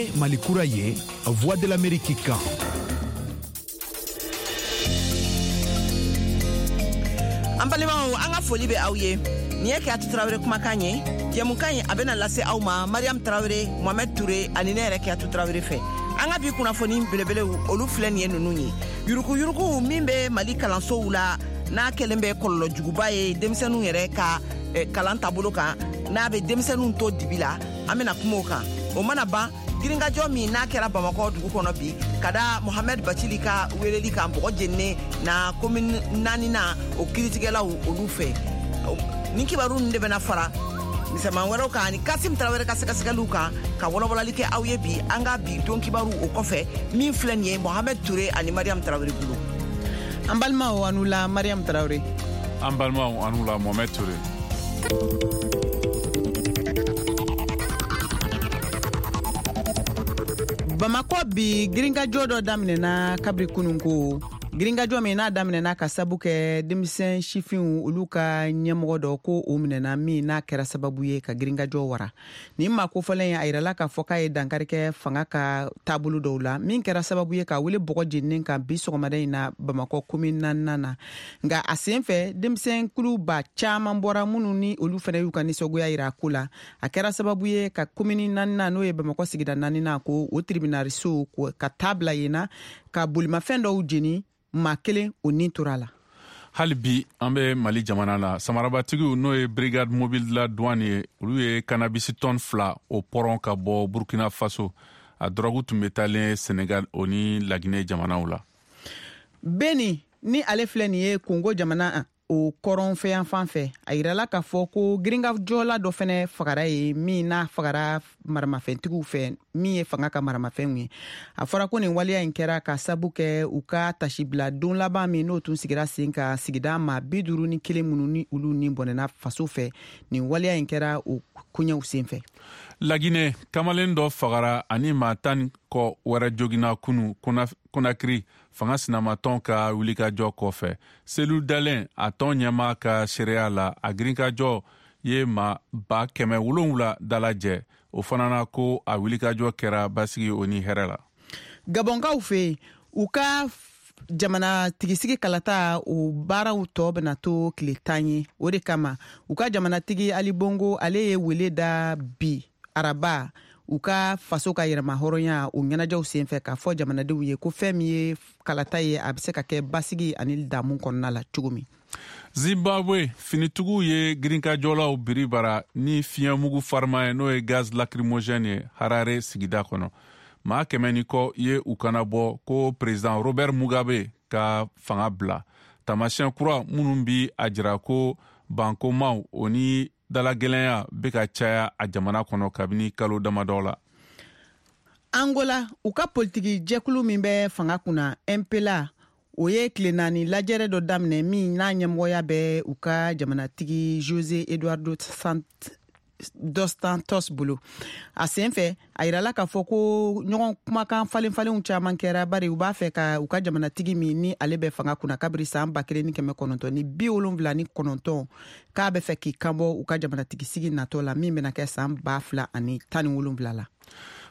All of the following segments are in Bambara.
Ye Mali kura ye, Voix de l'Amérique kan. An balimaw, an ka foli bɛ aw ye. Nin ye Kiyatu Tarawele kumakan ye. Jɛmukan in, a bɛna lase aw ma Mariam Tarawele, Mohamed Toure ani ne yɛrɛ Kiyatu Tarawele fɛ. An ka bi kunnafoni belebelew, olu filɛ nin ye ninnu ye: yurukuyuruku min bɛ Mali kalansow la, n'a kɛlen bɛ kɔlɔlɔ juguba ye denmisɛnninw yɛrɛ ka kalan taabolo kan, n'a bɛ denmisɛnninw to dibi la, an bɛna kuma o kan. O mana ban, girinkajɔ min n'a kɛra Bamakɔ dugu kɔnɔ bi ka da Mohamɛd Bacili ka weleli kan bɔgɔ jeninen na komini naaninan o kiritigɛlaw olu fɛ, nin kibaru ninnu de bɛna fara misɛnman wɛrɛw kan ani Kasim Tarawele ka sɛgɛsɛgɛliw kan ka walawalali kɛ aw ye bi an ka bi don kibaru. O kɔfɛ, min filɛ nin ye Mohamɛd Ture ani Mariam Tarawele bolo. An balimaw, aw ni wula. Mariam Tarawele. An balimaw, aw ni wula. Mohamɛd Ture. Bamakɔ bi, girinkajɔ dɔ daminɛna kabiri kunun ko, girinkajɔ min n'a daminɛna ka sabu kɛ denmisɛn sifinw olu ka ɲɛmɔgɔ dɔ ko o minɛna, min n'a kɛra sababu ye ka girinkajɔ wara. Nin maa kofɔlen, a yirala k'a fɔ k'a ye dankari kɛ fanga ka taabolo dɔw la, min kɛra sababu ye ka wele bɔgɔ jeninen kan bi sɔgɔmada in na Bamakɔ komi naaninan na. Nka a sen fɛ, denmisɛn kuluba caaman bɔra, minnu ni olu fɛnɛ y'u ka nisɔngoya yira a ko la. A kɛra sababu ye ka komini naaninan, n'o ye Bamakɔ sigida naaninan, ko o tiribinariso ka taa bila yen na ka bolimafɛn dɔw jeni. Maa kelen o nin tora a la. Hali bi an bɛ Mali jamana la. Samarabatigiw, n'o ye Brigade mobile de la douane ye, olu ye cannabis tɔn 2 o pɔrɔn ka bɔ Burkina Faso. A dɔrɔgu tun bɛ taalen Senegal o ni Laginɛ jamanaw la. Beni ni ale filɛ nin ye Kongo jamana o kɔrɔnfɛyanfan fɛ, a yirala k'a fɔ ko girinkajɔla dɔ fɛnɛ fagara ye, min n'a fagara maramafɛntigiw fɛ, min ye fanga ka maramafɛnw ye. A fɔra ko nin waleya in kɛra ka sabu kɛ u ka tasibila don laban min n'o tun sigira sen ka sigida ma 51 minnu ni olu ni bɔnɛna faso fɛ. Nin waleya in kɛra o koɲɛw sen fɛ. Laginɛ, kamalen dɔ fagara ani maa 10 kɔ wɛrɛ jogina kunu Konakiri, fanga sinamatɔn ka wulikajɔ kɔfɛ. Selu Dalen, a tɔn ɲɛma ka seereya la, a girinkajɔ ye maa 700,000 dalajɛ. O fana na ko a wulikajɔ kɛra basigi o ni hɛrɛ la. Gabɔnkaw fɛ yen, u ka jamana tigisigi kalata o baaraw tɔ bɛna to tile 10 ye. O de kama, u ka jamanatigi Ali Bongo, ale ye wele da bi araba, u ka faso ka yɛrɛma hɔrɔnya o ɲɛnajɛw senfɛ, k'a fɔ jamanadenw ye ko fɛn min ye kalata ye, a bɛ se ka kɛ basigi ani damu kɔnɔna la cogo min. Zimbabwe, finitigiw ye girinkajɔlaw biri bara ni fiɲɛmugu farima ye, n'o ye gaz lacrymogène ye, Harare sigida kɔnɔ. Maa 100 ni kɔ ye u kana bɔ ko président Robert Mugabe ka fanga bila. Taamasiyɛn kura minnu bi a jira ko bankomaw o ni dalagɛlɛnya bɛ ka caya a jamana kɔnɔ kabini kalo damadɔ la. Angola, u ka politiki jɛkulu min bɛ fanga kunna, MPLA, o ye tile 4 lajɛrɛ dɔ daminɛ, min n'a ɲɛmɔgɔya bɛ u ka jamanatigi Jose Eduardo dos Santos bolo. A sen fɛ, a yirala k'a fɔ ko ɲɔgɔn kumakan falen falenw caman kɛra, bari u b'a fɛ ka u ka jamanatigi min ni ale bɛ fanga kunna kabiri san 1979, k'a bɛ fɛ k'i kanbɔ u ka jamanatigi sigi natɔ la, min bɛna kɛ san 2017 la.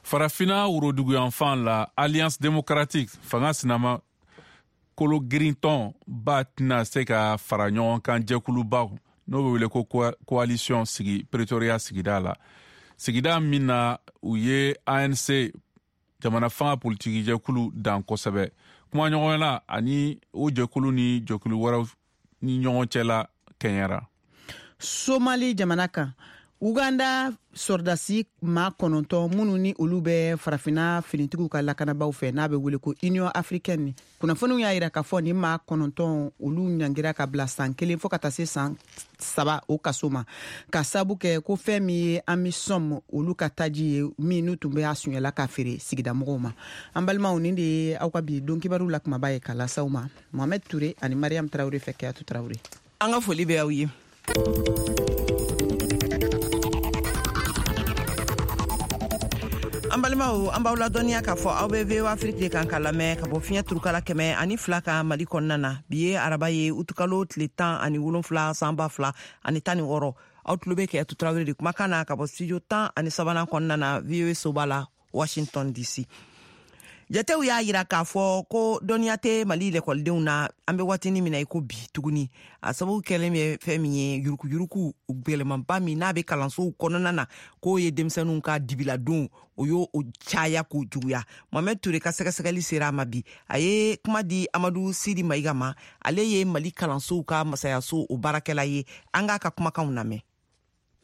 Farafina woroduguyanfan la, Alliance démocratique, fanga sinama kolo girintɔn ba, tɛna se ka fara ɲɔgɔn kan jɛkuluba, n'o bɛ wele ko coalition, sigi Pretoria sigida la, sigida min na u ye ANC jamana fanga politiki jɛkulu dan kosɛbɛ. Kumaɲɔgɔnya ani o jɛkulu ni jɛkulu wɛrɛw ni ɲɔgɔn cɛla kɛɲɛra. Somali jamana kan, Uganda sɔrɔdasi maa 9 minnu ni olu bɛ Farafina finitigiw ka lakanabaw fɛ, n'a bɛ wele ko Union africaine, kunnafoniw y'a yira k'a fɔ ni maa 9 olu ɲangira ka bila san 1 fɔɔ ka taa se san 3 o kaso ma, ka sabu kɛ ko fɛn min ye AMISOM olu ka taji ye, min n'u tun bɛ a suɲɛla ka feere sigidamɔgɔw ma. An balimaw, nin de ye aw ka bi don kibaru la kumaba ye ka lasaw ma Mohamed Ture ani Mariam Tarawure fɛ. Kɛyatu Tarawure. An ka foli bɛ aw ye. An balimaw, an b'aw ladɔnniya k'a fɔ aw bɛ VOA Afrique de kan ka lamɛn ka bɔ fiɲɛ turukala 102 kan Mali kɔnɔna na. Bi ye araba ye, utukalo tile 17, san 2016. Aw tulo bɛ Kɛyatu Tarawele de kumakan na ka bɔ studio 13nan kɔnɔna na, VOA soba la. Washington DC. Jatew y'a yira k'a fɔ ko dɔnniya tɛ Mali lɛkɔlidenw na an bɛ waatinin min na i ko bi tuguni. A sababu kɛlen bɛ fɛn min ye, yurukuyuruku gwɛlɛmanba min n'a bɛ kalansow kɔnɔna na, k'o ye denmisɛnninw ka dibiladon, o y'o caya k'o juguya. Mohamɛd Ture ka sɛgɛsɛgɛli sera a ma bi. A ye kuma di Amadu Sidi Mayiga ma, ale ye Mali kalansow ka masayaso o baarakɛla ye. An k'a ka kumakanw lamɛn.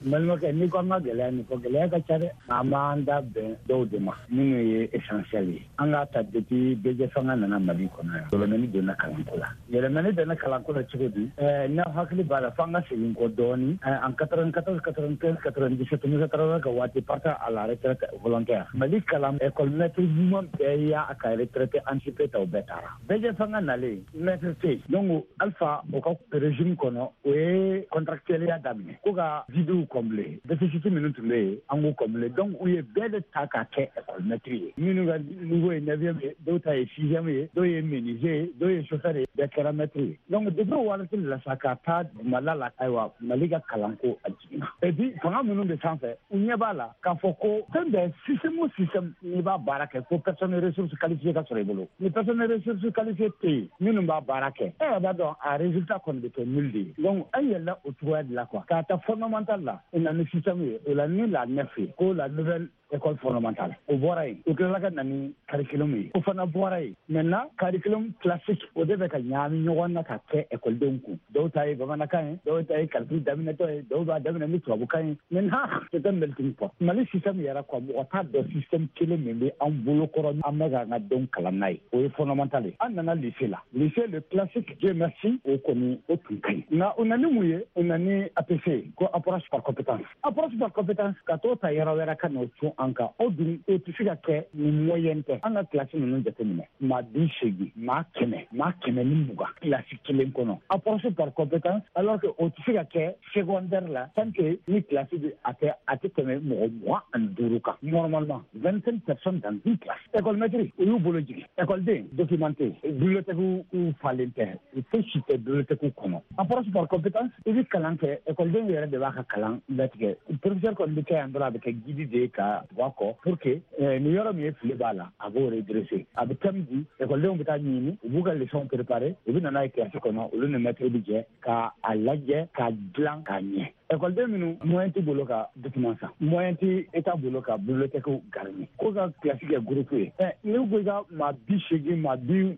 N balimakɛ, n'i ko an ka gɛlɛya nin fɔ, gɛlɛya ka ca dɛ. An b'an da bɛn dɔw de ma minnu ye essentiel ye. An k'a ta depuis bɛɛ fanga nana Mali kɔnɔ yan, yɛlɛmani donna kalanko la. Yɛlɛmani donna kalanko la cogo di? N'aw hakili b'a la, f'an ka segin kɔ dɔɔni. En 94, 95, 97, Musa Tarawele ka waati partant à la retraite volontaire, Mali kalan école maître ɲuman bɛɛ y'a ka retraite anticipée ta, o bɛɛ taara. Bɛɛ fanga nalen, maître tɛ yen. Donc Alpha o ka régime kɔnɔ, o ye contractuel daminɛ ko ka videw combler, déficit minnu tun bɛ yen, an k'o combler. Donc u ye bɛɛ de ta k'a kɛ école maître ye. Minnu ka niveau ye neuvième ye, dɔw ta ye sixième ye, dɔw ye menuisier ye, dɔw ye chauffeur ye, bɛɛ kɛra maître ye. Donc depuis o waati la sa ka taa dugumala la, ayiwa, Mali ka kalanko a jiginna. Et puis fanga minnu bɛ sanfɛ, u ɲɛ b'a la k'a fɔ ko fɛn bɛɛ, système o système, n'i b'a baara kɛ, fo personne ressource qualifiée ka sɔrɔ i bolo. Ni personne ressource qualifiée tɛ yen minnu b'a baara kɛ, e yɛrɛ b'a dɔn, a résultat kɔni bɛ kɛ nul de ye. Donc an yɛlɛla o cogoya de la quoi. K'a ta fondamental la, o na ni système ye, o la ni la NEF ye, ko la nouvelle école fondamentale, o bɔra yen. U tilala ka na ni curriculum ye, o fana bɔra yen. Maintenant curriculum classique, o de bɛ ka ɲaami ɲɔgɔn na ka kɛ ekɔlidenw kun. Dɔw ta ye bamanankan ye, dɔw ta ye calcul daminɛtɔ ye, dɔw b'a daminɛ ni tubabukan ye. Maintenant c'est un melting pot. Mali système yɛrɛ quoi, mɔgɔ t'a dɔn système kelen min bɛ an bolo kɔrɔ, an bɛ k'an ka denw kalan n'a ye. O ye fondamental ye. An nana lycée la, lycée, le classique, Dieu merci, o kɔni o tun ka ɲi. Nka o na ni mun ye? O na ni APC, ko approche par compétence. Approche par compétence, ka t'o ta yɔrɔ wɛrɛ ka n'o cun an kan, o dun o tɛ se ka kɛ ni moyen tɛ. An ka kilasi ninnu jateminɛ, maa 80, maa 100, maa 120 kilasi kelen kɔnɔ, approche par compétence, alors que o tɛ se ka kɛ secondaire la tant que ni kilasi bɛ a tɛ tɛmɛ mɔgɔ 25 kan, normalement 25 personnes dans une classe. École maître, u y'u bolo jigin. École document tɛ yen, bibliothèque falen tɛ, foyi si tɛ bibliothèque kɔnɔ. Approche par compétence, i bɛ kalan kɛ, école yɛrɛ de b'a ka kalan latigɛ. Professeur kɔni bɛ kɛ yan dɔrɔn, a bɛ kɛ guide de ye ka tugu a kɔ pour que ni yɔrɔ min ye fili b'a la, a b'o redresser. A bɛ thème di, écoledenw bɛ taa ɲini, u b'u ka leçon préparer, u bɛ na n'a ye classe kɔnɔ, olu ni maître bɛ jɛ ka a lajɛ k'a dilan k'a ɲɛ. Ekɔliden minnu moyen t'u bolo ka document san, moyen tɛ État bolo ka bibliothèque garni, ko ka classe kɛ groupe ye. Ɛ, n'i ko i ka maa 80, maa 90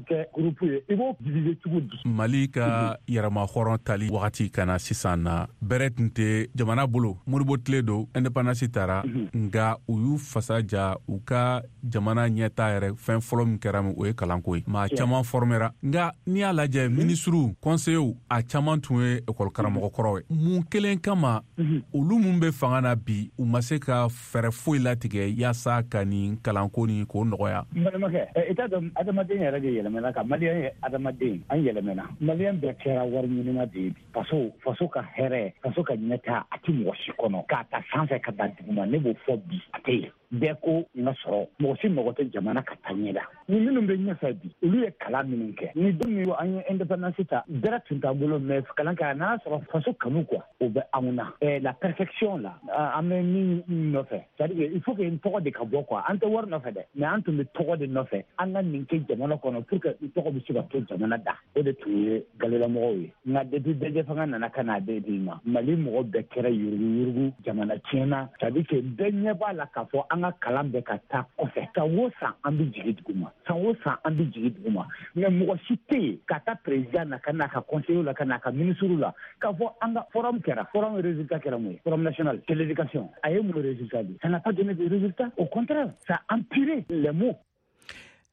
kɛ groupe ye, i b'o diviser cogo di? Mali ka yɛrɛma hɔrɔn tali wagati ka na sisan na, bɛrɛ tun tɛ jamana bolo. Modibo tile don, indépendance tara, nga u y'u fasa ja u ka jamana ɲɛta yɛrɛ. Fɛn fɔlɔ min kɛra min, o ye kalanko ye. Maa caman formera, nga n'i y'a lajɛ, minisiriw, conseillers, a caman tun ye ekɔli karamɔgɔ kɔrɔw ye. Mun kelen kama olu mun bɛ fanga na bi, u ma se ka fɛɛrɛ foyi latigɛ yaasa ka nin kalanko ni k'o nɔgɔya? N balimakɛ, i t'a dɔn, adamaden yɛrɛ de yɛlɛmɛna ka Maliyɛn ye. Adamaden an yɛlɛmɛna, Maliyɛn bɛɛ kɛra wari ɲinina de ye bi. Faso ka hɛrɛ, faso ka ɲɛta, a tɛ mɔgɔ si kɔnɔ, k'a ta sanfɛ ka da duguma. Ne b'o fɔ bi, a tɛ yen. Bɛɛ ko n ka sɔrɔ, mɔgɔ si mago tɛ jamana ka taa ɲɛ la. Ni minnu bɛ ɲɛfɛ bi, olu ye kalan minnu kɛ, ni don min an ye indépendance ta, bɛrɛ tun t'an bolo, mais kalan kɛ, a nana sɔrɔ faso kanu quoi, o bɛ anw na. La perfection la, an bɛ min nɔfɛ, c'est à dire il faut que n tɔgɔ de ka bɔ quoi. An tɛ wari nɔfɛ dɛ, mais an tun bɛ tɔgɔ de nɔfɛ. An ka nin kɛ jamana kɔnɔ pour que n tɔgɔ bɛ se ka to jamana da, o de tun ye galolamɔgɔw ye. Nka depuis bɛɛ fanga nana ka n'a bɛɛ di ma, Mali mɔgɔ bɛɛ kɛra yuruguyurugu, jamana tiɲɛna. C'est à dire que bɛɛ ɲɛ b'a la k'a fɔ an ka kalan bɛ ka taa kɔfɛ. San o san an bɛ jigin duguma, san o san an bɛ jigin duguma, mais mɔgɔ si tɛ yen ka taa président na, ka n'a ka conseiller la, ka n'a ka ministre la, k'a fɔ an ka forum kɛra. Forum résultat kɛra mun ye? Forum national de l'éducation, a ye mun résultat di? Ça n'a pas donné de résultat, au contraire, ça a empiré les maux.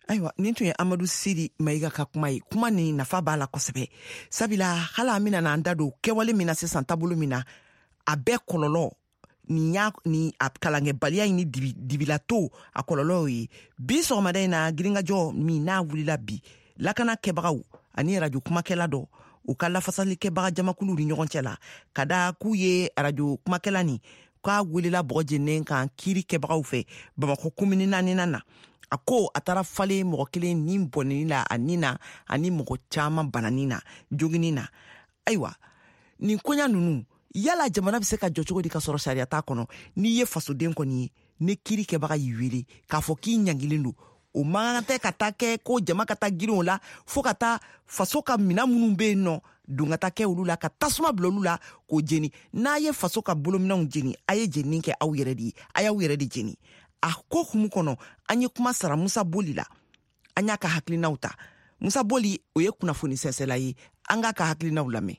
Ayiwa, nin tun ye Amadu Siri Mayiga ka kuma ye. Kuma nin nafa b'a la kosɛbɛ, sabula hali an bɛna n'an da don kɛwale min na sisan, taabolo min na, a bɛɛ kɔlɔlɔ nin y'a ni a kalankɛbaliya in ni dibilato a kɔlɔlɔw ye. Bi sɔgɔmada in na, girinkajɔ min n'a wulila bi lakana kɛbagaw ani arajo kumakɛla dɔ u ka lafasalikɛbaga jamakuluw ni ɲɔgɔn cɛ la, ka da k'u ye arajo kumakɛla nin k'a welela bɔgɔ jeninen kan kiiri kɛbagaw fɛ Bamakɔ komini naaninan na. A ko a taara falen mɔgɔ kelen ni bɔnɛni la a ni na, ani mɔgɔ caman banani na, jogini na. Ayiwa, nin koɲa nunu, yala jamana bɛ se ka jɔ cogo di ka sɔrɔ sariya t'a kɔnɔ? N'i ye fasoden kɔni ye, Ni kiiri kɛbaga y'i wele k'a fɔ k'i ɲangilen don, o man kan tɛ ka taa kɛ ko jama ka taa girin o la fo ka taa faso ka minan minnu bɛ yen nɔ don ka taa kɛ olu la, ka tasuma bila olu la k'o jeni. N'a ye faso ka bolominɛnw jeni, a ye jenini kɛ aw yɛrɛ de ye, a y'aw yɛrɛ de jeni. A ko hukumu kɔnɔ, an ye kuma sara Musa Boli la, an y'a ka hakilinaw ta. Musa Boli, o ye kunnafoni sɛnsɛla ye, an k'a ka hakilinaw lamɛn.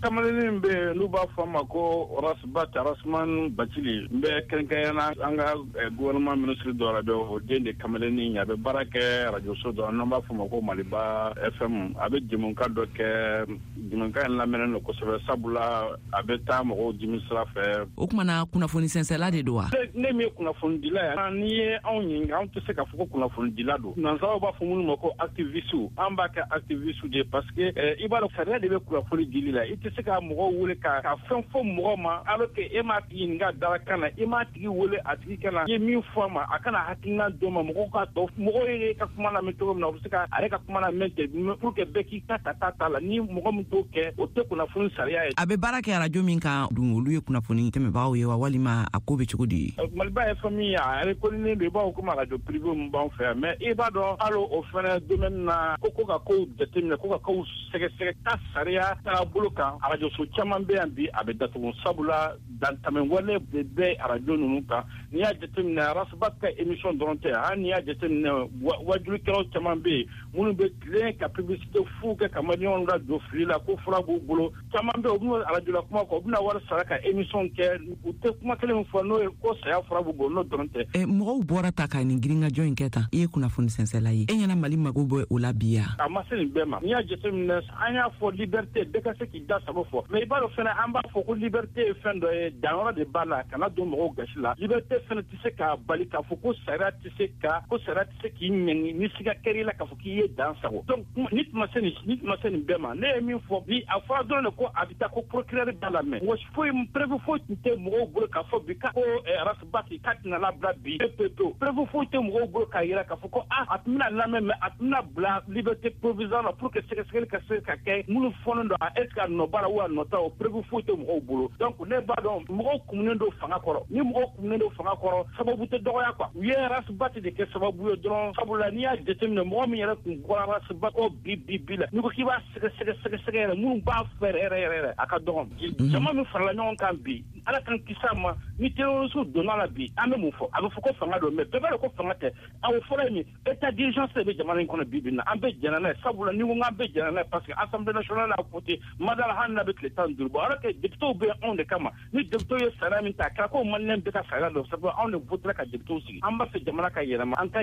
Kamalennin bɛ yen n'u b'a fɔ a ma ko Ras Bath, Rasman Bacili, n bɛ kɛrɛnkɛrɛnnenya an ka gouvernement ministre dɔ la bɛ, o den de kamalennin, a bɛ baara kɛ arajoso dɔ n'an b'a fɔ ma ko Maliba FM. A bɛ jɛmukan dɔ kɛ, jɛmukan in lamɛnnen don kosɛbɛ, sabula a bɛ taa mɔgɔw dimi sira fɛ. O tuma na kunnafoni sɛnsɛla de don wa? Ne min ye kunnafonidila ye, n'i ye anw ɲininka, anw tɛ se k'a fɔ ko kunnafonidila don. Nansaraw b'a fɔ minnu ma ko activiste, an b'a kɛ activiste de ye parce que i b'a dɔn sariya de bɛ kunnafoni dili la. I tɛ se ka mɔgɔw wele ka fɛn fɔ mɔgɔ ma alors que e m'a tigi ɲininka darakan na, i m'a tigi wele a tigi kana i ye min fɔ a ma, a kana hakilina d'o ma. Mɔgɔw ka dɔn mɔgɔw ye ka kuma lamɛn cogo min na, u bɛ se ka a yɛrɛ ka kuma lamɛn ten pour que bɛɛ k'i ta ta ta ta la. Ni mɔgɔ min t'o kɛ, o tɛ kunnafoni sariya ye. A bɛ baara kɛ arajo min kan dun, olu ye kunnafoni tɛmɛbagaw ye wa, walima a ko bɛ cogo di? Maliba FM a reconnu don, i b'a fɔ komi arajo privé min b'anw fɛ yan, mais i b'a dɔn hali o fɛnɛ domaine na, ko ka kow jateminɛ, ko ka kow sɛgɛsɛgɛ ka sariya taabolo kan, arajoso caman bɛ yan bi a bɛ datugu, sabula dantamɛ wale de bɛ arajo ninnu kan. N'i y'a jateminɛ, Ras Bath ka émission dɔrɔn tɛ, hali n'i y'a jateminɛ, wajulikɛlaw caman bɛ yen minnu bɛ tilen ka publicité fu kɛ ka maliyɛnw ladon fili la ko fura b'u bolo. Caman bɛ yen, u bɛna arajo la kuma kɔ, u bɛna wari sara ka émission kɛ, u tɛ kuma kelen min fɔ n'o ye ko saya fura b'u bolo, n'o dɔrɔn tɛ. Mɔgɔw bɔra ta ka nin girinkajɔ in kɛ tan, i ye kunnafoni sɛnsɛla ye, e ɲɛna Mali mago bɛ o la bi ya? A ma se nin bɛɛ ma. N'i y'a jateminɛ, an y'a fɔ liberté, bɛɛ ka se k'i da sago fɔ, mais i b'a dɔn fɛnɛ an b'a fɔ ko liberté ye fɛn dɔ ye, danyɔrɔ de b'a la, kana don mɔgɔw gasi la. Liberté fɛnɛ tɛ se k'a bali k'a fɔ ko sariya tɛ se ka ko sariya tɛ se k'i ɲangi ni siga kɛr'i la k'a fɔ k'i ye dan sago. Donc ni tun ma se nin, ni tun ma se nin bɛɛ ma, ne ye min fɔ bi, a fɔra dɔrɔn de ko a bɛ taa ko procureur b'a lamɛn. Mɔgɔ foyi, preuve foyi tun tɛ mɔgɔw bolo k'a fɔ bi ko Ras Bath k'a tɛna labila bi pewu pewu. Preuve foyi tɛ mɔgɔw bolo k'a yira k'a fɔ ko a tun bɛna lamɛn, mais a tun bɛna bila liberté provisoire la pour que sɛgɛsɛgɛli ka se ka kɛ minnu fɔlen don, est ce que a nɔ b'a la ou a nɔ t'a, o preuve foyi tɛ mɔgɔw bolo. Donc ne b'a dɔn mɔgɔw kumunen don fanga kɔrɔ. Ni mɔgɔw kumunen don fanga kɔrɔ, sababu tɛ dɔgɔya quoi. U ye Ras Bath de kɛ sababu ye dɔrɔn, sabula n'i y'a jateminɛ, mɔgɔ min yɛrɛ tun bɔra Ras Bath kɔ bi bi bi la, n'i ko k'i b'a sɛgɛsɛgɛ sɛgɛsɛgɛ yɛrɛ, minnu b'a fɛ yɛrɛ yɛrɛ yɛrɛ, a ka dɔgɔn. Jama min farala ɲɔgɔn kan bi, Ala k'an kisi a ma, ni terroriste donna la bi, an bɛ mun fɔ? A bɛ fɔ ko fanga don, mais bɛɛ b'a dɔn ko fanga tɛ. A o fɔlɔ ye min, état d'urgence de bɛ jamana in kɔnɔ bi bi in na, an bɛɛ jɛnna n'a ye, sabula ni ko k'an bɛɛ jɛnna n'a ye, parce que Assemblée nationale y'a voté madala hali n'a bɛ tile 15 bɔ, alors que députés bɛ anw de kama. Ni députés ye sariya min ta, a kɛra ko maliyɛn bɛɛ ka sariya dɔn, sabula anw de votera ka députés sigi. An b'a fɛ jamana ka yɛlɛma, an ka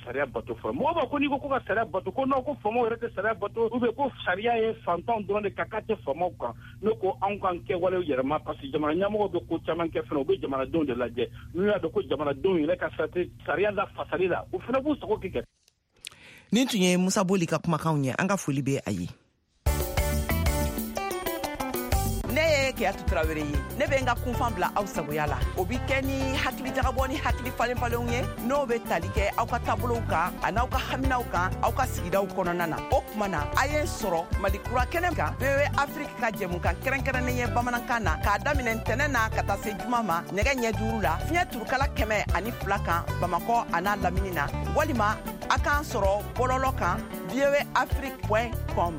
sariya bato fɔlɔ. Mɔgɔw b'a ko n'i ko ko ka sariya bato, ko non, ko faamaw yɛrɛ tɛ sariya bato, ou bien ko sariya ye fantanw dɔrɔn de kan, k'a tɛ faamaw kan. Ne ko anw k'an kɛwalew yɛlɛma, parce que jamana ɲɛmɔgɔw bɛ ko caman kɛ fɛnɛ, u bɛ jamanadenw de lajɛ. N'u y'a dɔn ko jamanadenw yɛrɛ ka sariya la fasali la, u fɛnɛ b'u sago kɛ. Nin tun ye Musa Boli ka kumakanw ye, an ka foli bɛ a ye. Ne ye Keyatu Tarawele ye, ne bɛ n ka kunfan bila aw sagoya la. O bi kɛ ni hakili jagabɔ ni hakili falen falenw ye, n'o bɛ tali kɛ aw ka taabolow kan an'aw ka haminaw kan aw ka sigidaw kɔnɔna na. O tuma na, a ye n sɔrɔ Mali kura kɛnɛ kan, VOA Afrique ka jɛmukan kɛrɛnkɛrɛnnen ye bamanankan na, k'a daminɛ ntɛnɛn na ka taa se juma ma nɛgɛ ɲɛ 5 la, fiɲɛ turukala 102 kan Bamakɔ an'a lamini na, walima a k'an sɔrɔ bɔlɔlɔ kan voaafrique.com.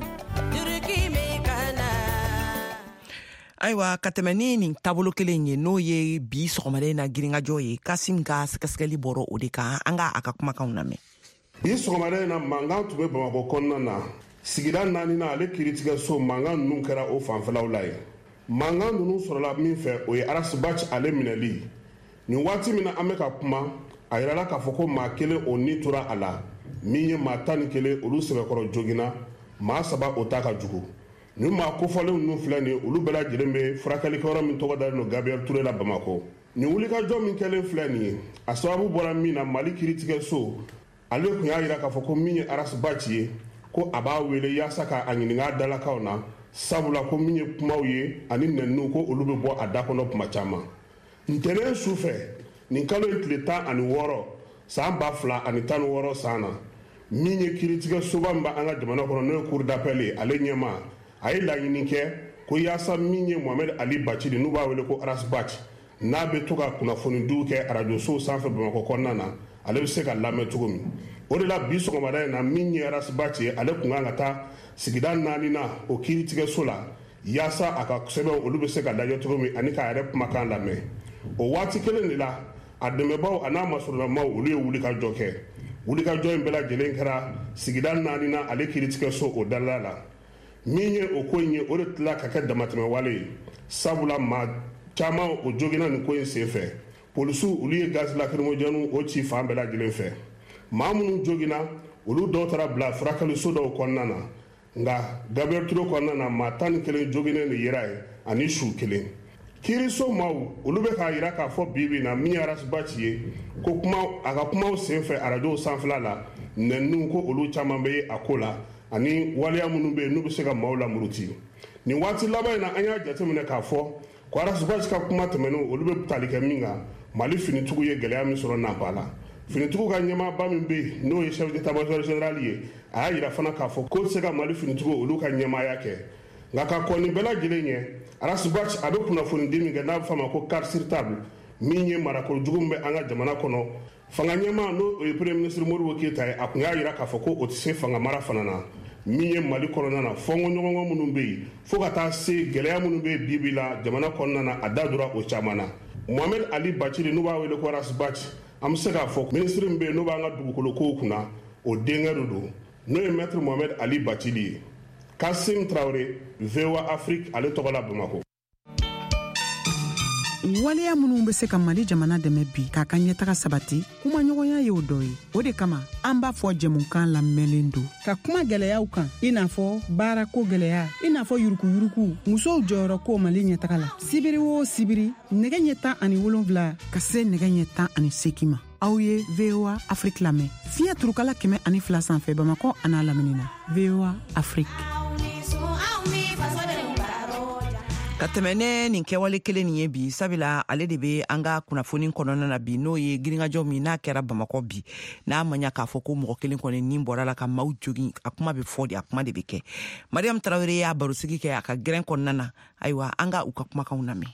Ayiwa, ka tɛmɛ ni nin taabolo kelen ye, n'o ye bi sɔgɔmada in na girinkajɔ ye, Kasim ka sɛgɛsɛgɛli bɔra o de kan, an ka a ka kumakanw lamɛn. Bi sɔgɔmada in na, mankan tun bɛ Bamakɔ kɔnɔna na, sigida 4 na, ale kiiritigɛso mankan ninnu kɛra o fanfɛlaw la yen. Mankan ninnu sɔrɔla min fɛ, o ye Ras Bath ale minɛli. Nin waati min na an bɛ ka kuma, a yirala k'a fɔ ko maa 1 o ni tora a la, min ye maa 11 olu sɛbɛkɔrɔ joginna, maa 3 o ta ka jugu. Nin maa kofɔlenw ninnu filɛ nin ye, olu bɛɛ lajɛlen bɛ furakɛlikɛyɔrɔ min tɔgɔ dalen don Gabriel Touré la Bamakɔ. Nin wulikajɔ min kɛlen filɛ nin ye, a sababu bɔra min na, Mali kiiritigɛso ale tun y'a yira k'a fɔ ko min ye Ras Bath ye, ko a b'a wele yaasa k'a ɲininka a dalakaw na, sabula ko min ye kumaw ye ani nɛniw, ko olu bɛ bɔ a da kɔnɔ kuma caman. Ntɛnɛn su fɛ, nin kalo in tile 16 san 2016 san na, min ye kiiritigɛsoba min b'an ka jamana kɔnɔ, n'o ye cour d'appel ye, ale ɲɛmaa a ye laɲini kɛ ko yaasa min ye Mohamed Ali Bacili, n'u b'a wele ko Ras Bath, n'a bɛ to ka kunnafonidiw kɛ arajosow sanfɛ Bamakɔ kɔnɔna na, ale bɛ se ka lamɛn cogo min. O de la bi sɔgɔmada in na, min ye Ras Bath ye, ale tun kan ka taa sigida naaninan o kiiritigɛso la yaasa a ka sɛbɛnw olu bɛ se ka lajɛ cogo min ani k'a yɛrɛ kumakan lamɛn. O waati kelen de la, a dɛmɛbaw a n'a masurunamaw olu ye wulikajɔ kɛ. Wulikajɔ in bɛɛ lajɛlen kɛra sigida naaninan ale kiiritigɛso o dalala la. Min ye o ko in ye, o de tila ka kɛ damatɛmɛwale ye, sabula maa caman o joginna nin ko in senfɛ. Polisiw olu ye gaz lacrymogène o ci fan bɛɛ lajɛlen fɛ. Maa minnu joginna, olu dɔw taara bila furakɛliso dɔw kɔnɔna na, nka Gabriel Touré kɔnɔna na, maa 11 joginnen de yera yen ani su kelen. Kiiriso maaw olu bɛ k'a yira k'a fɔ bi bi na, min ye Ras Bath ye, ko kuma a ka kumaw senfɛ arajow sanfɛla la, nɛniw ko olu caman bɛ ye a ko la, ani waleya minnu bɛ yen n'u bɛ se ka maaw lamuruti. Nin waati laban in na, an y'a jateminɛ k'a fɔ ko Ras Bath ka kuma tɛmɛnenw olu bɛ tali kɛ min kan, Mali finitigiw ye gɛlɛya min sɔrɔ Nanpala la. Finitigiw ka ɲɛmaaba min bɛ yen, n'o ye chef d'état-major général ye, a y'a yira fana k'a fɔ k'o tɛ se ka Mali finitigiw olu ka ɲɛmaaya kɛ. Nka ka kɔn nin bɛɛ lajɛlen ɲɛ, Ras Bath a bɛ kunnafonidi min kɛ n'a bɛ f'a ma ko carte sur table, min ye marakolo jugu min bɛ an ka jamana kɔnɔ, fanga ɲɛmaa n'o ye premier ministre Modibo Keyita ye, a tun y'a yira k'a fɔ ko o tɛ se fanga mara fana na. Min ye Mali kɔnɔna na fɔnkɔɲɔgɔnkɔ minnu bɛ yen, fo ka taa se gɛlɛya minnu bɛ yen bi bi la jamana kɔnɔna na, a da donna o caman na. Mohamed Ali Bathily, n'u b'a wele ko Ras Bath, an bɛ se k'a fɔ minisiri min bɛ yen n'o b'an ka dugukolo kow kunna, o denkɛ de don, n'o ye maître Mohamed Ali Bathily ye. Kasim Traoré, VOA Afrique ale tɔgɔ la, Bamakɔ. Waleya minnu bɛ se ka Mali jamana dɛmɛ bi k'a ka ɲɛtaga sabati, kumaɲɔgɔnya y'o dɔ ye. O de kama an b'a fɔ jɛmukan lamɛnlen don ka kuma gwɛlɛyaw kan, i n'a fɔ baarako gwɛlɛya, i n'a fɔ yurukuyuruku, musow jɔyɔrɔ ko Mali ɲɛtaga la. Sibiri o sibiri, nɛgɛ ɲɛ 17 ka se nɛgɛ ɲɛ 18 ma, aw ye VOA Afrique lamɛn fiɲɛ turukala 102 sanfɛ, Bamakɔ an'a lamini na. VOA Afrique. Ka tɛmɛ ne nin kɛwale kelen nin ye bi, sabula ale de be an ka kunnafoni kɔnɔna na bi, n'o ye girinkajɔ min n'a kɛra Bamakɔ bi, n'a ma ɲa k'a fɔ ko mɔgɔ kelen kɔni nin bɔra la ka maaw jogin. A kuma bɛ fɔ de, a kuma de bɛ kɛ. Mariam Tarawele y'a barosigi kɛ a ka gɛrɛn kɔnɔna na. Ayiwa, an ka u ka kumakanw lamɛn.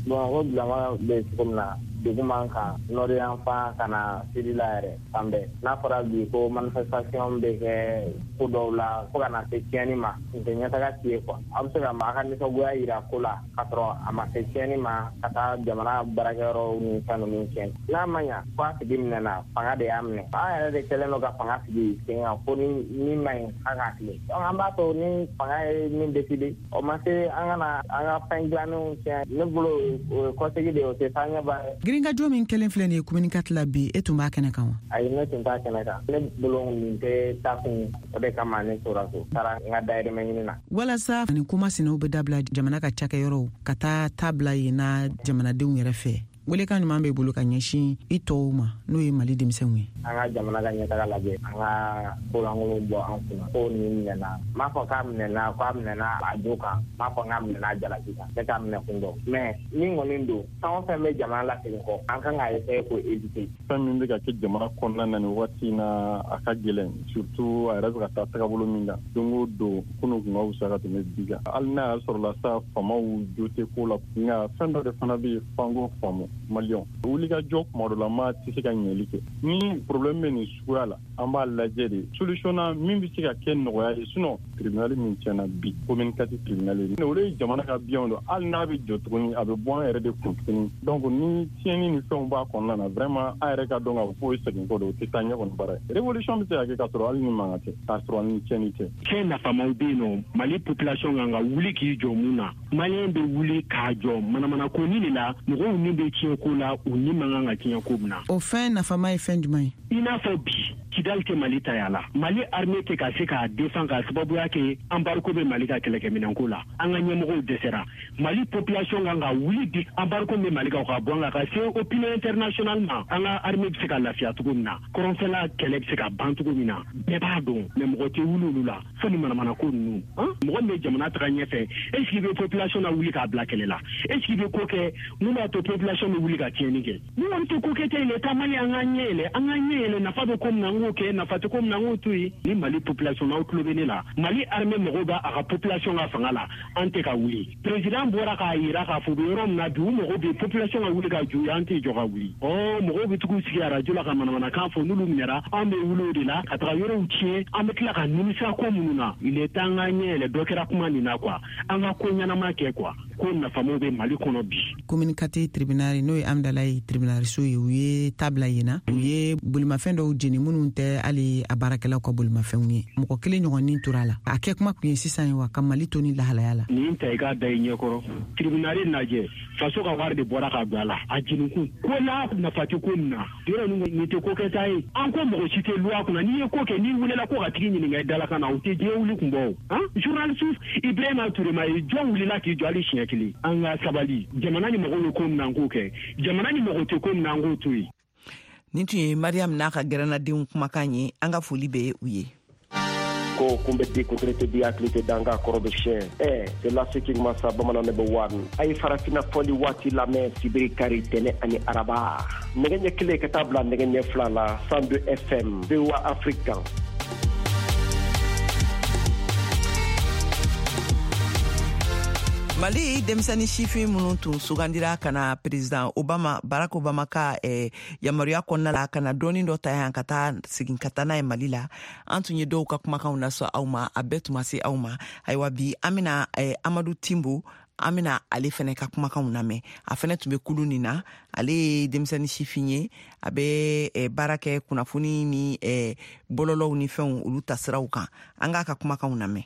Bamakɔ bilama bɛ cogo min na, degun b'an kan nord yan fan ka na sud la yɛrɛ fan bɛɛ. N'a fɔra bi ko manifestation bɛ kɛ ko dɔw la fo ka na se tiɲɛni ma, nin tɛ ɲɛtaga si ye quoi. Aw bɛ se ka maa ka nisɔngoya yira ko la k'a sɔrɔ a ma se tiɲɛni ma, ka taa jamana baarakɛyɔrɔw ni fɛn ninnu tiɲɛ. N'a ma ɲa ko a tigi minɛna, fanga de y'a minɛ. An yɛrɛ de kɛlen don ka fanga sigi sen kan ko ni min man ɲi, an k'a tilen. Donc an b'a to ni fanga ye min décider, o ma se an ka na an ka fɛn dilannenw tiɲɛ. Ne bolo, o ye kɔsegi de ye, o tɛ taa ɲɛ ba ye. Girinkajɔ min kɛlen filɛ nin ye commune 4 la bi, e tun b'a kɛnɛ kan wa? Ayi, ne tun t'a kɛnɛ kan. Ne bolo, nin tɛ taakun ye, o de kama ne tora so, taara n ka dayirimɛ ɲini na. Walasa nin komasinaw bɛ dabila, jamana ka cakɛyɔrɔw ka taa ta bila yen na jamanadenw yɛrɛ fɛ, welekan ɲuman b'e bolo ka ɲɛsin i tɔw ma, n'o ye Mali denmisɛnw ye? An ka jamana ka ɲɛtaga lajɛ, an ka kolankolon bɔ an kunna. Ko nin minɛna, n m'a fɔ k'a minɛna, k'a minɛna a jo kan, n m'a fɔ k'a minɛna a jalaki kan, ne k'a minɛ kun dɔn. Mais min kɔni don, fɛn o fɛn bɛ jamana lasegin kɔ, an kan k'a essayer k'o éviter. Fɛn min bɛ ka kɛ jamana kɔnɔna na nin waati in na, a ka gɛlɛn, surtout a yɛrɛ bɛ ka taa tagabolo min kan. Don o don, kunun kun ka wusa ka tɛmɛ bi kan, hali n'a y'a sɔrɔla sa faamaw jo tɛ ko la. Nka fɛn dɔ de fana bɛ yen f'an k'o faamu, maliyɛnw wulikajɔ kuma dɔ la maa tɛ se ka ɲɛli kɛ. Ni problème bɛ nin suguya la, an b'a lajɛ de solution na min bɛ se ka kɛ nɔgɔya ye. Sinon tribunal min tiɲɛna bi, commune 4 tribunal ye, olu ye jamana ka biens don. Hali n'a bɛ jɔ tuguni, a bɛ bɔ an yɛrɛ de kun tuguni. Donc ni tiɲɛni ni fɛnw b'a kɔnɔna na, vraiment an yɛrɛ ka dɔn k'a fɔ k'o ye segin kɔ don, o tɛ taa ɲɛ kɔni baara ye. Révolution bɛ se ka kɛ k'a sɔrɔ hali ni mankan tɛ, k'a sɔrɔ ni tiɲɛni tɛ. Fɛn nafamaw bɛ yen nɔ, Mali population kan ka wuli k'i jɔ mun na? Maliyɛn bɛ wuli k'a jɔ manamana ko ni de la, mɔgɔw ni bɛ tiɲɛ ko la, u ni man kan ka tiɲɛ ko min na. O fɛn nafama ye fɛn jumɛn ye? I n'a fɔ bi, Kidali tɛ Mali ta ya la, Mali armée tɛ ka se k'a défend k'a sababuya kɛ embargo bɛ Mali ka kɛlɛkɛminɛnko la. An ka ɲɛmɔgɔw dɛsɛra. Mali population kan ka wuli bi, embargo bɛ Mali kan, ka bɔ an kan, ka se opinion internationale ma, an ka armée bɛ se ka lafiya cogo min na, kɔrɔnfɛla kɛlɛ bɛ se ka ban cogo min na. Bɛɛ b'a dɔn, mais mɔgɔ tɛ wuli olu la fo ni manamana ko ninnu. Mɔgɔ min bɛ jamana taga ɲɛfɛ, est ce que i bɛ population na wuli k'a bila kɛlɛ la? Est ce que i bɛ ko kɛ mun b'a to population bɛ wuli ka tiɲɛni kɛ? Ni kɔni tɛ ko kɛ tɛ, il est temps Mali an k'an ɲɛ yɛlɛ, an k'an ɲɛ. yɛlɛ, nafa bɛ ko min na, an k'o kɛ, nafa tɛ ko min na, an k'o to yen. Ni Mali population, n'aw tulo bɛ ne la, Mali armée mɔgɔw b'a a ka population ka fanga la, an tɛ ka wuli. Président bɔra k'a yira k'a fɔ u bɛ yɔrɔ min na bi, u mago bɛ population ka wuli ka jɔ, an tɛ jɔ ka wuli. Ɔ mɔgɔw bɛ tugu sigi arajo la ka manamanakan fɔ, n'olu minɛra, an bɛ wuli o de la ka taga yɔrɔw tiɲɛ, an bɛ tila ka nimisa ko minnu na. Il est temps an ka ɲɛ yɛlɛ, dɔ kɛra kuma nin na quoi, an ka ko ɲɛnama kɛ quoi, ko nafamaw bɛ Mali kɔnɔ bi. Commune 4 tribunal, n'o ye Amdalayi tribunalso ye, u ye tabila yen na, u ye bolimafɛn dɔw jeni minnu tɛ hali a baarakɛlaw ka bolimafɛnw ye. Mɔgɔ kelen ɲɔgɔn ni tora a la. A kɛ kuma kun ye sisan ye wa ka Mali to ni lahalaya la. Nin ta i k'a da i ɲɛkɔrɔ, tribunal lajɛ, faso ka wari de bɔra ka don a la, a jenikun ko n'a nafa tɛ ko min na, yɔrɔ nin tɛ ko kɛta ye. An ko mɔgɔ si tɛ loi kunna, n'i ye ko kɛ, n'i welela ko ka tigi ɲininka i dalakan na, o tɛ diɲɛ wuli kun bɔ o. Han, journaliste Ibrahima Touré ma ye, jɔn wulila k'i jɔ hali siɲɛ kelen? An ka sabali, jamana ni mɔgɔw ye ko min na, an k'o kɛ, jamana ni mɔgɔ tɛ ko min na, an k'o to yen. Nin tun ye Mariam n'a ka gɛrɛnnadenw kumakan ye, an ka foli bɛ u ye. Ko kun bɛ di kuntiri tɛ di hakili tɛ danga kɔrɔ bɛ siɲɛ ɛ c'est la ce qui masa bamanan ne bɛ wari a ye farafinna fɔli waati lamɛn sibiri, kari, tɛnɛ ani araba, nɛgɛ ɲɛ 1 ka taa bila nɛgɛ ɲɛ 2 la, 102 FM, VOA Afrique kan. Mali denmisɛnnin sifin minnu tun sugandira ka na président Obama, Barack Obama ka yamaruya kɔnɔna la, ka na dɔɔni dɔ ta yan ka taa segin ka taa n'a ye Mali la, an tun ye dɔw ka kumakanw lasɔ aw ma, a bɛɛ tun ma se aw ma. Ayiwa, bi an bena Amadu Timbo, an bena ale fɛnɛ ka kumakanw lamɛn. A fɛnɛ tun bɛ kulu nin na. Ale ye denmisɛnnin sifin ye, a bɛ baara kɛ kunnafoni ni bɔlɔlɔw ni fɛnw olu tasiraw kan. An k'a ka kumakanw lamɛn.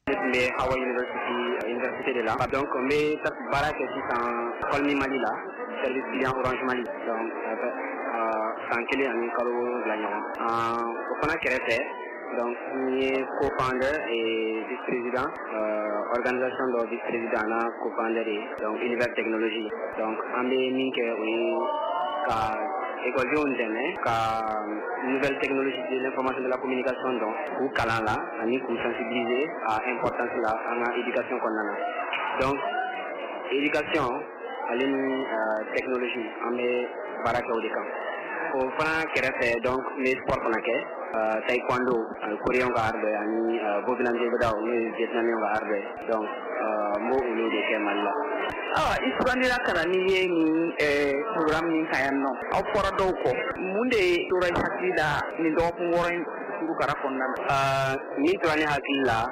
Ne tun bɛ Howard University, université de la. Donc n bɛ baara kɛ sisan Call Me Mali la, service client Orange Mali. Donc san 1 ani kalo 7 ɲɔgɔn. O fana kɛrɛfɛ, donc n ye co-founder et vice-président organisation dɔ vice-président n'a co-founder ye, donc Univers Technologie. Donc an bɛ min kɛ, o ye ka ekɔlidenw dɛmɛ ka nouvelle technologie de l'information de la communication dɔn, k'u kalan la ani k'u sensibiliser a importance la an ka éducation kɔnɔna na. Donc éducation ale ni technologie, an bɛ baara kɛ o de kan. O fana kɛrɛfɛ, donc n bɛ sport fana kɛ, taekwondo, coréen ka art dɔ ye, ani Vovinam Viet Vo Dao, n'o ye vietnamien ka art dɔ ye. Donc n b'o olu de kɛ Mali la. Awa, i sugandira ka na n'i ye nin programme min kan yan nɔ, aw fɔra dɔw kɔ, mun de tora i hakili la nin dɔgɔkun 6 in kurukara kɔnɔna na? Min tora ne hakili la,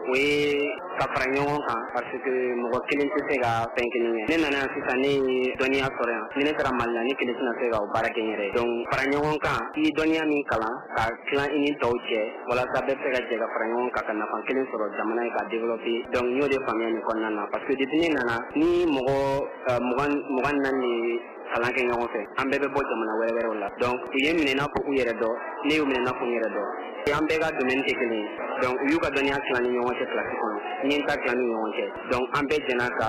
o ye ka fara ɲɔgɔn kan, parce que mɔgɔ kelen tɛ se ka fɛn kelen kɛ. Ne nana yan sisan, ne ye dɔnniya sɔrɔ yan. Ni ne taara Mali la, ne kelen tɛna se ka o baara kɛ n yɛrɛ ye. Donc fara ɲɔgɔn kan, i ye dɔnniya min kalan ka tilan i ni tɔw cɛ, walasa bɛɛ bɛ se ka jɛ ka fara ɲɔgɔn kan ka nafa kelen sɔrɔ jamana ye ka développer. Donc n y'o de faamuya nin kɔnɔna na, parce que depuis ne nana ni mɔgɔ 24 de kalan kɛ ɲɔgɔn fɛ, an bɛɛ bɛ bɔ jamana wɛrɛ wɛrɛw la. Donc u ye minɛ i n'a fɔ u yɛrɛ dɔ, ne y'u minɛ i n'a fɔ n yɛrɛ dɔ. An bɛɛ ka domaine tɛ kelen ye. Donc u y'u ka dɔnniya tilan ni ɲɔgɔn cɛ kilasi kɔnɔ, n ye n ta tilan ni ɲɔgɔn cɛ. Donc an bɛɛ jɛna ka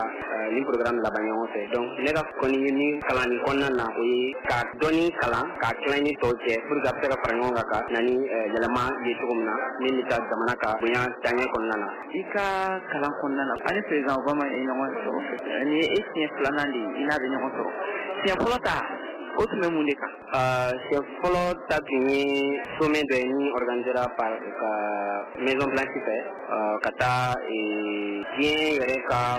nin programme laban ɲɔgɔn fɛ. Donc ne ka kɔni ye min kalan nin kɔnɔna na, o ye ka dɔnni kalan k'a tilan ni tɔw cɛ, pour que a bɛ se ka fara ɲɔgɔn kan ka na ni yɛlɛma ye cogo min na min bɛ taa jamana ka bonya taaɲɛ kɔnɔna na. I ka kalan kɔnɔna na, ani président Obama ye ɲɔgɔn sɔrɔ, nin ye e siɲɛ filanan de ye i n'a bɛ ɲɔgɔn sɔrɔ. Siɲɛ fɔlɔ ta, o tun bɛ mun de kan? Siɲɛ fɔlɔ ta tun ye sommet dɔ ye min organisera par ka Maison Blanche fɛ, ka taa diɲɛ yɛrɛ ka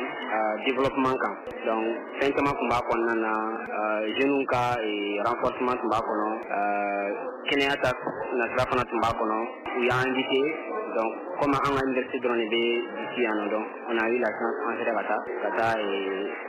développement kan. Donc fɛn caman tun b'a kɔnɔna na, jeunes ka renforcement tun b'a kɔnɔ, kɛnɛya ta nasira fana tun b'a kɔnɔ. U y'an invité, donc comme an ka université dɔrɔn de bɛ d'ici yan nɔ, donc on a eu la chance, an sera ka taa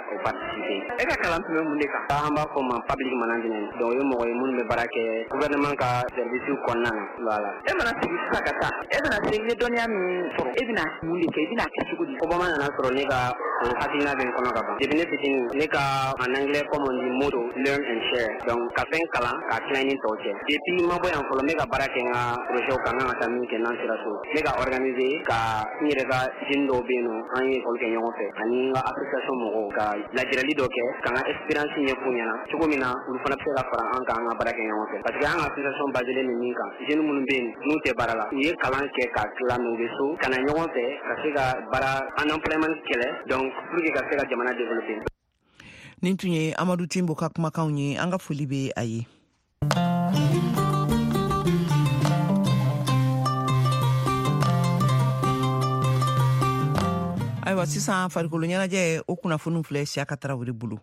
o participer. E ka kalan tun bɛ mun de kan? An b'a fɔ o ma public management. Donc o ye mɔgɔ ye minnu bɛ baara kɛ gouvernement ka service kɔnɔna na. Voilà. E mana sigi sisan ka taa, e bɛna se i ye dɔnniya min sɔrɔ, e bɛna mun de kɛ, i bɛna kɛ cogo di? Obama nana sɔrɔ ne ka o hakilina bɛ n kɔnɔ ka ban. Depuis ne fitinin, ne ka en anglais comme on dit motto, learn and share. Donc ka fɛn kalan k'a tilan i ni tɔw cɛ. Depuis n ma bɔ yan fɔlɔ, n bɛ ka baara kɛ n ka projet kan, n kan ka taa min kɛ n'an sera so. N bɛ ka organiser ka n yɛrɛ ka jeune dɔw bɛ yen nɔ, an ye école kɛ ɲɔgɔn fɛ, ani n ka association mɔgɔw, ka lajɛrɛli dɔ kɛ ka n ka expérience ɲɛf'u ɲɛna cogo min na olu fana bɛ se ka fara an kan, an ka baara kɛ ɲɔgɔn fɛ. Parce que an ka association baselen bɛ min kan, jeune minnu bɛ yen n'u tɛ baara la, u ye kalan kɛ k'a tila, mais u bɛ so ka na ɲɔgɔn fɛ ka se ka baara unemployment kɛlɛ, donc pour que ka se ka jamana développer. Nin tun ye Amadu Timbo ka kumakanw ye, an ka foli bɛ a ye. Sisan farikolo ɲɛnajɛ, o kunnafoniw filɛ Siyaka Tarawele bolo.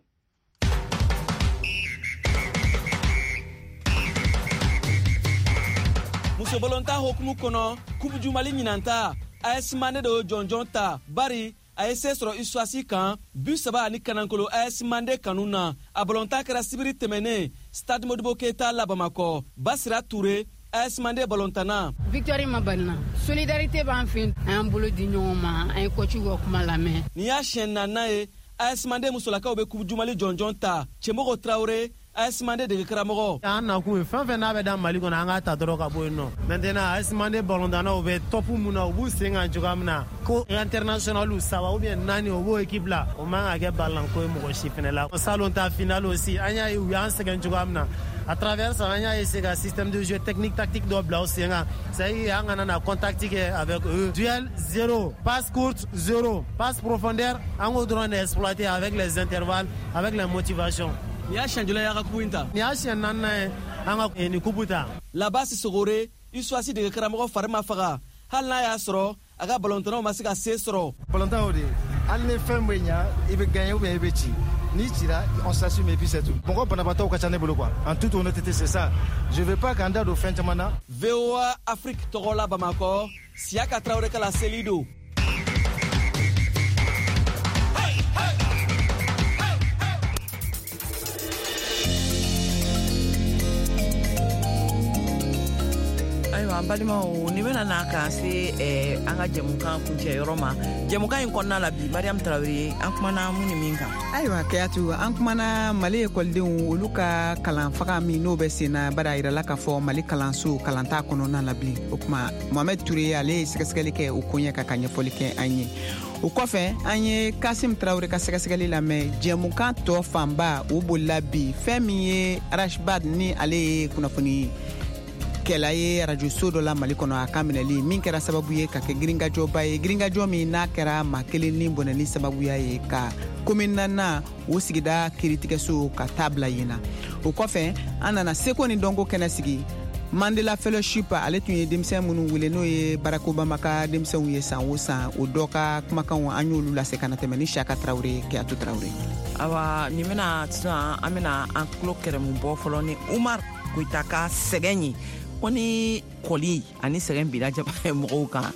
Musobalontan hokumu kɔnɔ, Coupe du Mali ɲinanta, AS Mande de y'o jɔnjɔn ta, bari a ye se sɔrɔ USFAS kan 3-1 AS Mande kanu na. A balontan kɛra sibiri tɛmɛnen Stade Modibo Keita la Bamakɔ. Basira Ture, AS Mande balontanna. Victoire ma banna, solidarité b'an fɛ, an y'an bolo di ɲɔgɔn ma, an ye coach ka kuma lamɛn. Nin y'a siɲɛ naaninan ye AS Mande musolakaw bɛ Coupe du Mali jɔnjɔn ta. Cɛmɔgɔ Traoré, AS Mande dege karamɔgɔ. An nakun ye fɛn fɛn n'a bɛ da Mali kɔnɔ, an k'a ta dɔrɔn ka bɔ yen nɔ. Maintenant, AS Mande balontannaw bɛ top mun na, u b'u sen kan cogoya min na, ko international 3 ou bien 4, o b'o équipe la, o man ka kɛ balanko ye mɔgɔ si fɛnɛ la. Salon ta finale aussi, an y'a ye u y'an sɛgɛn cogoya min na. À travers ça, an y'a essayé ka système de jeu technique tactique dɔ bila u sen kan, c'est à dire an kana na contact kɛ avec eux. Duel 0, passe courte 0, passe profondeur, an k'o dɔrɔn de exploiter avec les intervalles, avec les motivations. Nin y'a siɲɛ joli ye a ka kupu in ta? Nin y'a siɲɛ naaninan ye an ka nin kupu ta. Labasi Sogore, USFAS dege karamɔgɔ fari ma faga, hali n'a y'a sɔrɔ a ka balontannaw ma se ka se sɔrɔ. Balontan o de ye, hali ni fɛn bɛ ɲa, i bɛ gagner ou bien i bɛ ci. N'i cira, on s'assume et puis c'est tout. Mɔgɔ banabaatɔw ka ca ne bolo quoi. En toute honnêteté, c'est ça. Je veux pas k'an da don fɛn caman na. VOA Afrique tɔgɔ la Bamakɔ, Siyaka Tarawele ka laseli don. Ayiwa, an balimaw, ni bɛna na k'an se an ka jɛmukan kuncɛ yɔrɔ ma. Jɛmukan in kɔnɔna la bi, Mariam Tarawele, an kumana mun ni min kan? Ayiwa Keyatu, an kumana Mali ekɔlidenw olu ka kalan faga min n'o bɛ sen na, bari a yirala k'a fɔ Mali kalanso kalan t'a kɔnɔna la bilen. O kuma, Mohamed Touré ale ye sɛgɛsɛgɛli kɛ o koɲɛ kan ka ɲɛfɔli kɛ an ye. O kɔfɛ, an ye Kasim Tarawele ka sɛgɛsɛgɛli lamɛn. Jɛmukan tɔ fanba o bolila bi, fɛn min ye Ras Bath ni ale ye kunnafoni kɛla ye arajoso dɔ la Mali kɔnɔ, a ka minɛli min kɛra sababu ye ka kɛ girinkajɔba ye, girinkajɔ min n'a kɛra maa kelen ni bɔnɛli sababuya ye ka komin naaninan o sigida kiiritigɛso ka taa bila yen na. O kɔfɛ, an nana seko ni dɔnko kɛnɛ sigi. Mandela Fellowship ale tun ye denmisɛn minnu wele, n'o ye Barack Obama ka denmisɛnw ye san o san, o dɔ ka kumakanw an y'olu lase ka na tɛmɛ ni Siyaka Tarawele, Keyatu Tarawele. Awa, nin bɛna sisan, an bɛna an tulo kɛrɛmu bɔ fɔlɔ ni Umar Koyita ka sɛgɛn ye, ko ni kɔli ani sɛgɛn binna jama mɔgɔw kan,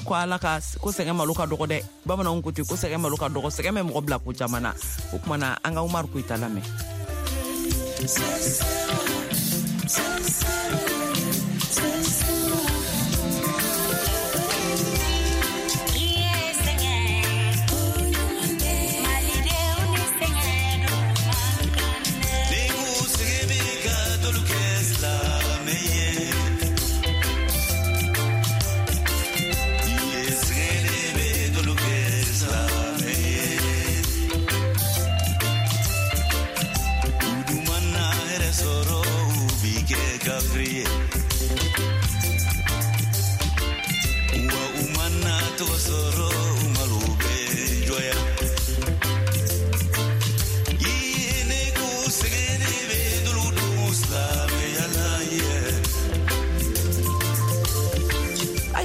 ko Ala ka ko sɛgɛn malo ka dɔgɔ dɛ. Bamananw ko ten ko sɛgɛn malo ka dɔgɔ, sɛgɛn bɛ mɔgɔ bila ko caman na. O tuma na, an ka Umar Koyita lamɛn.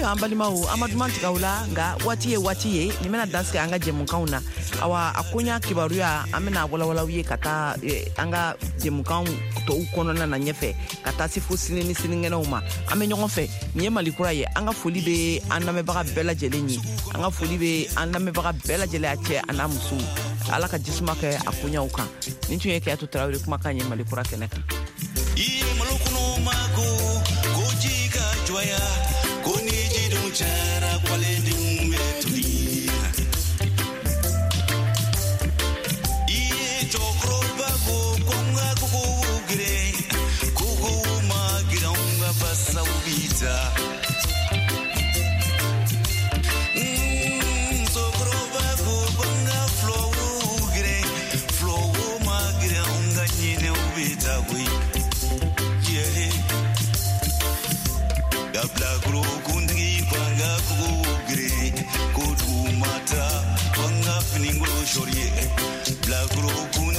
An balimaw, an ma duman tigɛ aw la, nka waati ye waati ye nin bɛna dansigi an ka jɛmukanw na. Awa, a koɲa kibaruya an bɛna walawalaw ye ka taa an ka jɛmukan tɔw kɔnɔna na ɲɛfɛ, ka taa se fo sini ni sinikɛnɛw ma. An bɛ ɲɔgɔn fɛ. Nin ye Mali kura ye. An ka foli bɛ an lamɛnbaga bɛɛ lajɛlen ye, an ka foli bɛ an lamɛnbaga bɛɛ lajɛlen, a cɛ a n'a muso. Ala ka jisuma kɛ a koɲaw kan. Nin tun ye Keyatu Tarawele kumakan ye Mali kura kɛnɛ kan. I ye malo kɔnɔ mako, ko ji ka jɔya, ko ni ji dun cayara, kwalendenw bɛ toli. I ye cɛkɔrɔba ko ko n ka kogow geren, kogow ma geren, anw ka basaw bi taa. Musokɔrɔba ko ko n ka fulɔw geren, fulɔw ma geren, anw ka ɲinɛw bɛ taa koyi. Bilakoro kuntigi ko an ka kogow geren, ko duguma taa, ko an ka finikolo sɔri ye. Bilakoro kuntigi